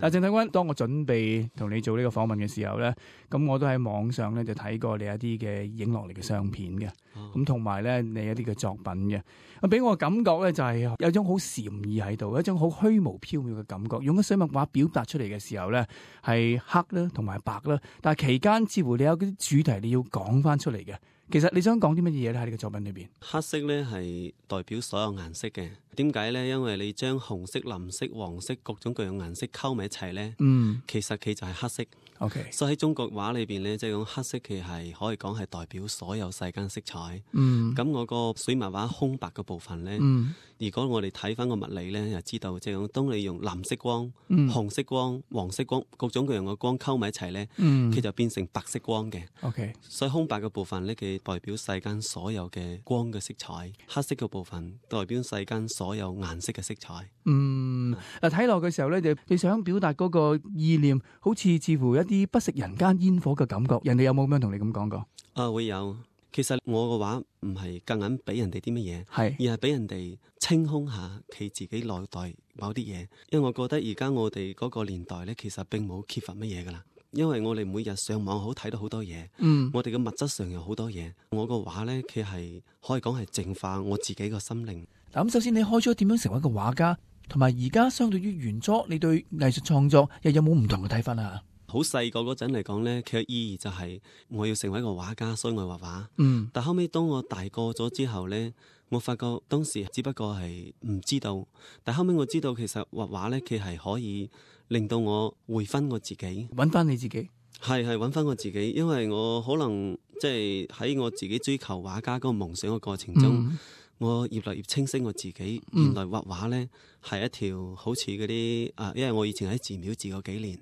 嗱，鄭體君，當我準備同你做呢個訪問嘅時候咧，咁我都喺網上咧就睇過你一啲嘅影落嚟嘅相片嘅，咁同埋咧你一啲嘅作品嘅，咁俾我感覺咧就係有一種好禪意喺度，一種好虛無縹緲嘅感覺。用咗水墨畫表達出嚟嘅時候咧，係黑啦同埋白啦，但係期間似乎你有啲主題你要講翻出嚟嘅。其實你想講啲乜嘢咧？喺呢個作品裏邊，黑色咧係代表所有顏色嘅。點解咧？因為你將紅色、藍色、黃色各種各樣顏色溝埋一齊咧，其實佢就係黑色。OK， 所以喺中國畫裏邊咧，即係講黑色，其實係可以講係代表所有世間色彩。咁我個水墨畫空白嘅部分咧，如果我哋睇翻個物理咧，就知道即係講當你用藍色光、紅色光、黃色光各種各樣嘅光溝埋一齊咧，佢就變成白色光嘅。OK， 所以空白嘅部分咧，佢代表世間所有嘅光嘅色彩；黑色嘅部分代表世間所有顏色嘅色彩。嗱，睇落嘅時候咧，你想表達嗰個意念，好似乎一啲不食人間煙火嘅感覺。人哋有冇咁樣同你咁講過？會有。其實我嘅畫唔係夾硬俾人哋啲乜嘢，而係俾人哋清空下佢自己內在某啲嘢。因為我覺得而家我哋嗰個年代咧，其實並冇缺乏乜嘢噶啦。因為我哋每日上網好睇到好多嘢，我哋嘅物質上有好多嘢。我個畫咧，佢係可以講係淨化我自己個心靈。咁首先你開咗點樣成為一個畫家，同埋而家相對於原初，你對藝術創作又有冇唔同嘅睇法啊？好細個嗰陣嚟講呢，佢嘅意義就係我要成為一個畫家，所以我畫畫。但後尾當我大個咗之後呢，我發覺當時只不過係唔知道，但後尾我知道其實畫畫呢，佢係可以令到我回返我自己，揾翻你自己。係揾翻我自己，因為我可能即係喺我自己追求畫家嗰個夢想嘅過程中，我越嚟越清晰我自己。原來畫畫呢係一條好似嗰啲因為我以前喺寺廟住過幾年，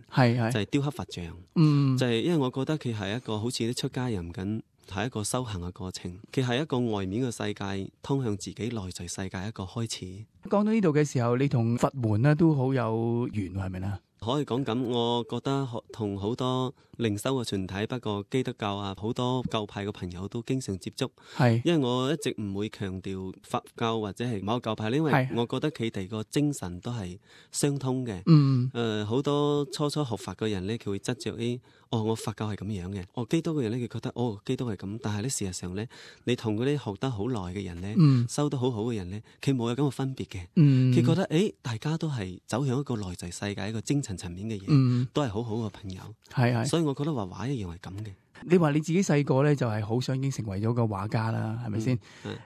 就係雕刻佛像。就係因為我覺得佢係一個好似啲出家人咁，係一個修行嘅過程。佢係一個外面嘅世界通向自己內在世界一個開始。講到呢度嘅時候，你同佛門呢都好有緣，係咪呢？可以講咁，我覺得同好多靈修嘅團體，不過基督教好多教派嘅朋友都經常接觸。因為我一直唔會強調佛教或者係某個教派，因為我覺得佢哋個精神都係相通嘅。好多初學佛嘅人呢，佢會執着我佛教係咁樣嘅，基督嘅人呢，佢覺得基督係咁，但係呢，事實上呢，你同嗰啲學得好耐嘅人呢，修得好好嘅人呢，佢冇有咁嘅分別嘅。佢覺得大家都係走向一個內在世界一個精神層面嘅嘢，都係好好嘅朋友。所以我覺得畫畫一樣係咁嘅。你話你自己細個咧就係好想已經成為咗個畫家啦，係咪先？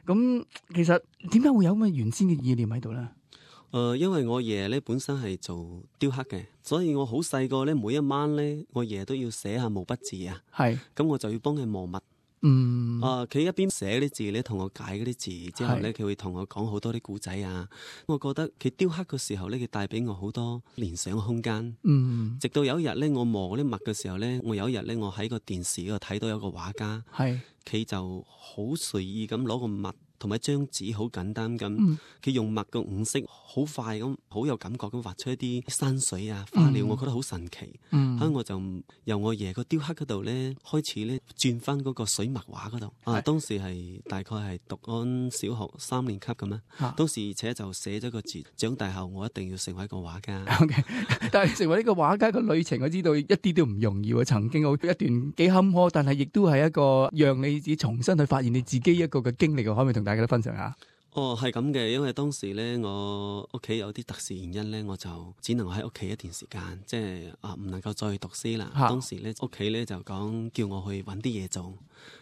咁其實點解會有咁嘅原先嘅意念喺度咧？因為我爺咧本身係做雕刻嘅，所以我好細個咧，每一晚咧，我爺都要寫下毛筆字啊。咁我就要幫佢磨墨。佢一邊寫啲字咧，同我解嗰啲字之後咧，佢會同我講好多啲古仔啊。我覺得佢雕刻嘅時候咧，佢帶俾我好多聯想嘅空間。直到有一日咧，我磨嗰啲墨嘅時候咧，我有一日咧，我喺個電視嗰度睇到有個畫家，佢就好隨意咁攞個墨同埋一張紙，好簡單咁，佢用墨嘅五色好快咁，好有感覺咁畫出一啲山水啊、花鳥，我覺得好神奇。所以我就由我爺個雕刻嗰度咧，開始咧轉翻嗰個水墨畫嗰度。當時係大概係讀緊小學3年級咁啦。當時而且就寫咗個字：長大後我一定要成為一個畫家。但係成為呢個畫家嘅旅程，我知道一啲都唔容易喎。曾經有一段幾坎坷，但係亦都係一個讓你自己重新去發現你自己一個嘅經歷。可唔可以同大家都分享下？係咁嘅，因為當時咧，我屋企有啲特殊原因咧，我就只能喺屋企一段時間，即係唔能夠再去讀書啦。當時咧，屋企咧就講叫我去揾啲嘢做，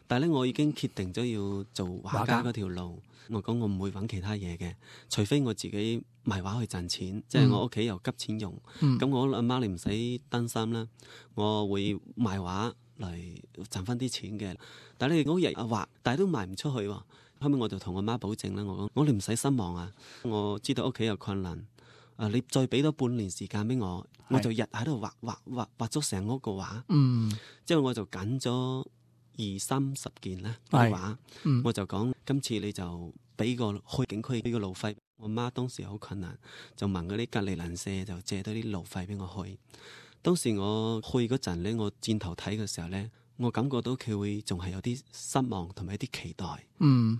但係咧我已經決定咗要做畫家嗰條路。我講我唔會揾其他嘢嘅，除非我自己賣畫去賺錢，即係我屋企又急錢用。咁我阿媽你唔使擔心啦，我會賣畫嚟賺翻啲錢嘅。但係你好日畫，但係都賣唔出去喎。後尾我就同我媽保證啦，我講我哋唔使失望啊！我知道屋企有困難，你再俾多半年時間俾我，我就日喺度畫咗成屋個畫。之後我就揀咗20-30件啦啲畫，我就講今次你就俾個去景區俾個路費。我媽當時好困難，就問嗰啲隔離鄰舍就借多啲路費俾我去。當時我去嗰陣咧，我轉頭睇嘅時候咧，我感覺到佢會仲係有啲失望同埋一啲期待，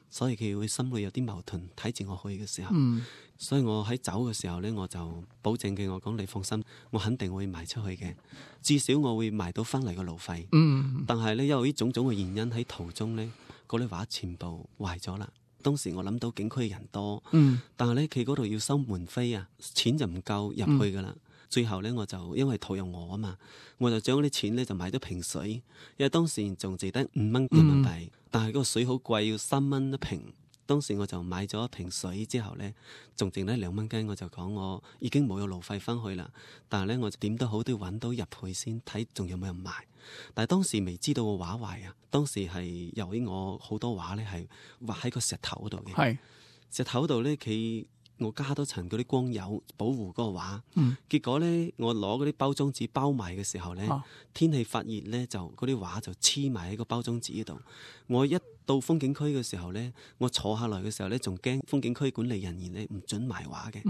所以佢會心裏有啲矛盾。睇住我去嘅時候，所以我喺走嘅時候呢，我就保證嘅，我講你放心，我肯定會賣出去嘅，至少我會賣到翻嚟個路費。但係呢，因為呢種種嘅原因喺途中呢，嗰啲畫全部壞咗啦。當時我諗到景區人多，但係呢，佢嗰度要收門飛啊，錢就唔夠入去噶啦。最後呢，我就因為途有我啊嘛，我就將啲錢呢就買咗瓶水，因為當時仲值得5蚊人民幣，但係嗰個水好貴，要3蚊一瓶。當時我就買咗一瓶水之後呢，仲剩得2蚊雞，我就講我已經冇有路費翻去啦。但係呢，我點都好都要揾到入去先睇，仲有冇人賣。但係當時未知道個畫壞啊，當時係由於我好多畫呢係畫喺個石頭嗰度嘅，石頭嗰度呢，我加多層嗰啲光油保護嗰個畫，結果呢，我攞嗰啲包裝紙包埋嘅時候呢，天氣發熱呢，就嗰啲畫就黐埋喺個包裝紙度。我一到風景區嘅時候呢，我坐下來嘅時候呢，仲驚風景區管理人員呢唔准賣畫嘅。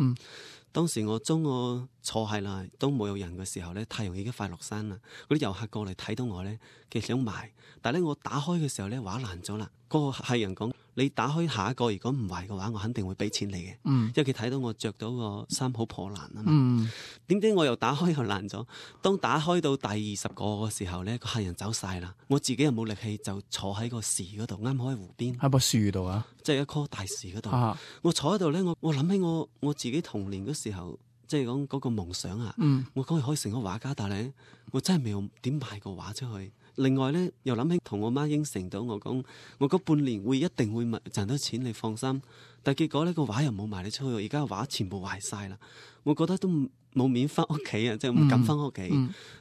當時我將我坐下來都冇有人嘅時候呢，太陽已經快落山啦。嗰啲遊客過嚟睇到我呢，佢想賣，但係呢，我打開嘅時候呢，畫爛咗啦。嗰個客人講：你打開下一個，如果唔壞嘅話，我肯定會俾錢你嘅。因為佢睇到我着到個衫好破爛啊嘛。點知我又打開又爛咗。當打開到第20個嘅時候呢，個客人走晒啦，我自己又冇力氣，就坐喺個樹嗰度，啱好喺湖邊，喺棵樹度啊，即係一棵大樹嗰度。我坐喺度呢，我諗起我自己童年嗰時候，即係講嗰個夢想啊。我講可以成個畫家，但係我真係未有點賣過畫出去。另外呢，又諗起同我媽應承到我講，我嗰半年一定會賺到錢，你放心。但係結果呢，個畫又冇賣你出去，而家個畫全部壞晒啦。我覺得都冇面翻屋企啊，即係唔敢翻屋企。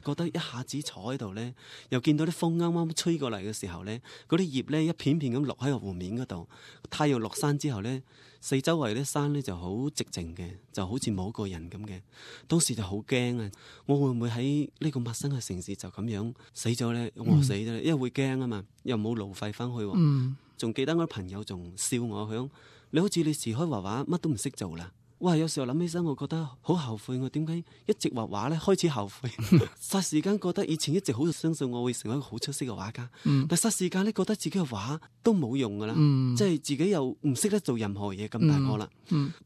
覺得一下子坐喺度呢，又見到啲風啱啱吹過嚟嘅時候呢，嗰啲葉呢一片片咁落喺個湖面嗰度。太陽落山之後呢，四周圍啲山呢就好寂靜嘅，就好似冇個人咁嘅。當時就好驚啊！我會唔會喺呢個陌生嘅城市就咁樣死咗呢？餓死咗呢？因為會驚啊嘛，又冇路費翻去。仲記得我啲朋友仲笑我，佢講你好似你時開畫畫乜都唔識做啦。哇！有時候諗起身，我覺得好後悔，我點解一直畫畫呢？開始後悔。霎時間覺得以前一直好相信我會成為一個好出色嘅畫家，但霎時間呢，覺得自己嘅畫都冇用噶啦，即係自己又唔識得做任何嘢，咁大個啦。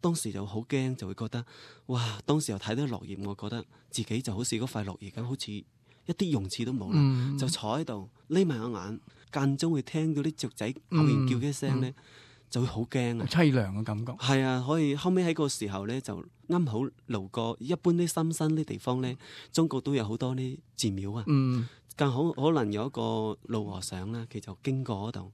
當時就好驚，就會覺得哇！當時又睇到落葉，我覺得自己就好似嗰塊落葉咁，好似一啲用處都冇啦，就坐喺度匿埋個眼，間中會聽到啲雀仔偶然叫嘅聲呢。就會好驚啊！淒涼嘅感覺。係啊，可以後尾喺個時候呢，就啱好路過一般啲深山啲地方呢，中國都有好多啲寺廟啊。更好可能有一個老和尚啦，佢就經過嗰度，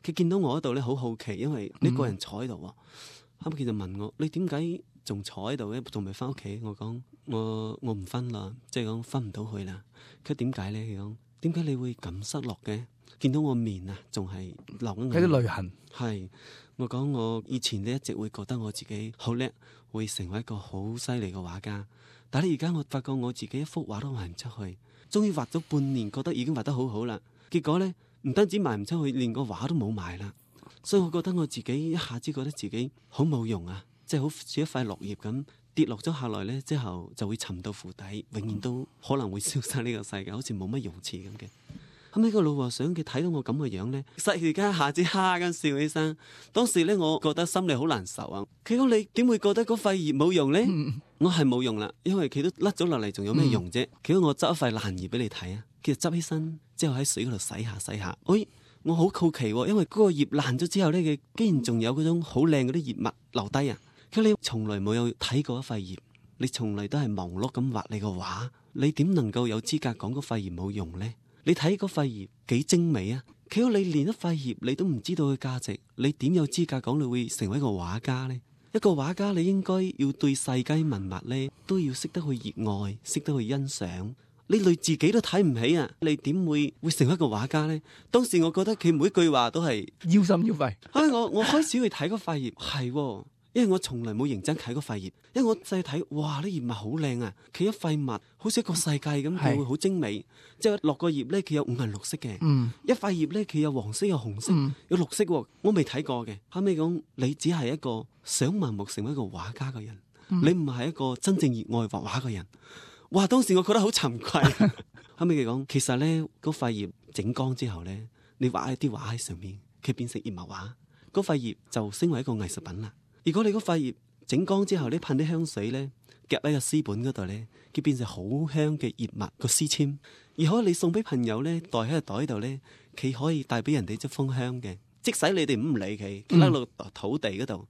佢見到我嗰度呢，好好奇，因為呢個人坐喺度。後尾佢就問我：你點解仲坐喺度呢？仲未翻屋企？我講：我唔翻啦，即係講翻唔到去啦。佢點解呢？佢講：點解你會咁失落嘅？見到我面啊，仲係流緊眼，有啲淚痕。係，我講我以前呢一直會覺得我自己好叻，會成為一個好犀利嘅畫家。但係而家我發覺我自己一幅畫都賣唔出去，終於畫咗半年，覺得已經畫得好好啦。結果呢，唔單止賣唔出去，連個畫都冇賣啦。所以我覺得我自己一下子覺得自己好冇用啊，即係好似一塊落葉咁跌落咗下來呢，之後就會沉到湖底，永遠都可能會消失呢個世界，好似冇乜用處咁嘅。後尾個老和尚佢睇到我咁嘅樣呢，霎時間一下子哈咁笑起身。當時呢，我覺得心裏好難受啊。佢講：你點會覺得嗰塊葉冇用呢？我係冇用啦，因為佢都甩咗落嚟，仲有咩用啫？佢講：我執一塊爛葉俾你睇啊。佢就執起身之後喺水嗰度洗下洗下。哎，我好好奇，因為嗰個葉爛咗之後呢，佢竟然仲有嗰種好靚嗰啲葉脈留低啊。佢話：你從來冇有睇過一塊葉，你從來都係忙碌咁畫你個畫，你點能夠有資格講嗰塊葉冇用呢？你睇嗰塊葉幾精美啊！佢話：你連一塊葉你都唔知道嘅價值，你點有資格講你會成為一個畫家呢？一個畫家你應該要對世間文物呢都要識得去熱愛，識得去欣賞。你連自己都睇唔起啊！你點會成為一個畫家呢？當時我覺得佢每一句話都係腰心腰肺。我開始去睇嗰塊葉，係因為我從來冇認真睇嗰塊葉，因為我細睇，哇！啲葉脈好靚啊，佢一塊脈好似一個世界咁，佢會好精美。即係落個葉咧，佢有五顏六色嘅。一塊葉咧，佢有黃色、有紅色、有綠色。我未睇過嘅。後尾講，你只係一個想盲目成為一個畫家嘅人，你唔係一個真正熱愛畫畫嘅人。哇！當時我覺得好慚愧。後尾佢講，其實咧嗰塊葉整乾之後咧，你畫一啲畫喺上面，佢變成葉脈畫，嗰塊葉就升為一個藝術品啦。如果你嗰塊葉整乾之後，你噴啲香水咧，夾喺個詩本嗰度咧，佢變成好香嘅葉脈個詩籤。而可以你送俾朋友咧，袋喺個袋度咧，佢可以帶俾人哋一封香嘅。即使你哋唔理佢，佢喺落土地嗰度，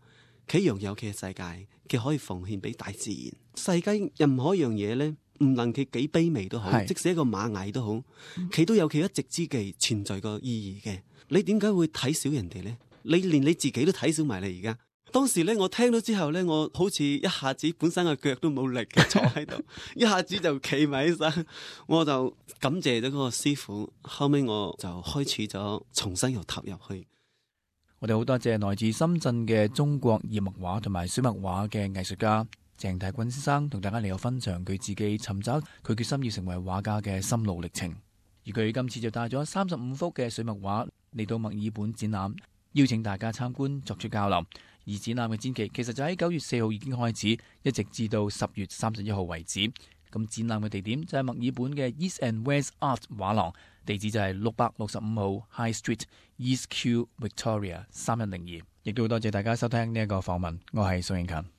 佢擁有佢嘅世界，佢可以奉獻俾大自然。世界任何一樣嘢咧，唔論佢幾卑微都好，即使一個螞蟻都好，佢都有佢一席之技存在個意義嘅。你點解會睇小人哋咧？你連你自己都睇小埋你而家。當時咧，我聽到之後咧，我好似一下子本身個腳都冇力嘅坐喺度，一下子就企埋起身，我就感謝咗嗰個師傅。後尾我就開始咗重新又投入去。我哋好多謝來自深圳嘅中國葉脈畫同埋水墨畫嘅藝術家鄭大軍先生，同大家嚟有分享佢自己尋找佢決心要成為畫家嘅心路歷程。而佢今次就帶咗35幅嘅水墨畫嚟到墨爾本展覽，邀請大家參觀作出交流。而展覽嘅展期其實就喺9月4號已經開始，一直至到10月31號為止。咁展覽嘅地點就係墨爾本嘅 East and West Art 畫廊，地址就係665號 High Street East Q Victoria 3102。亦都多謝大家收聽呢一個訪問，我係宋慶勤。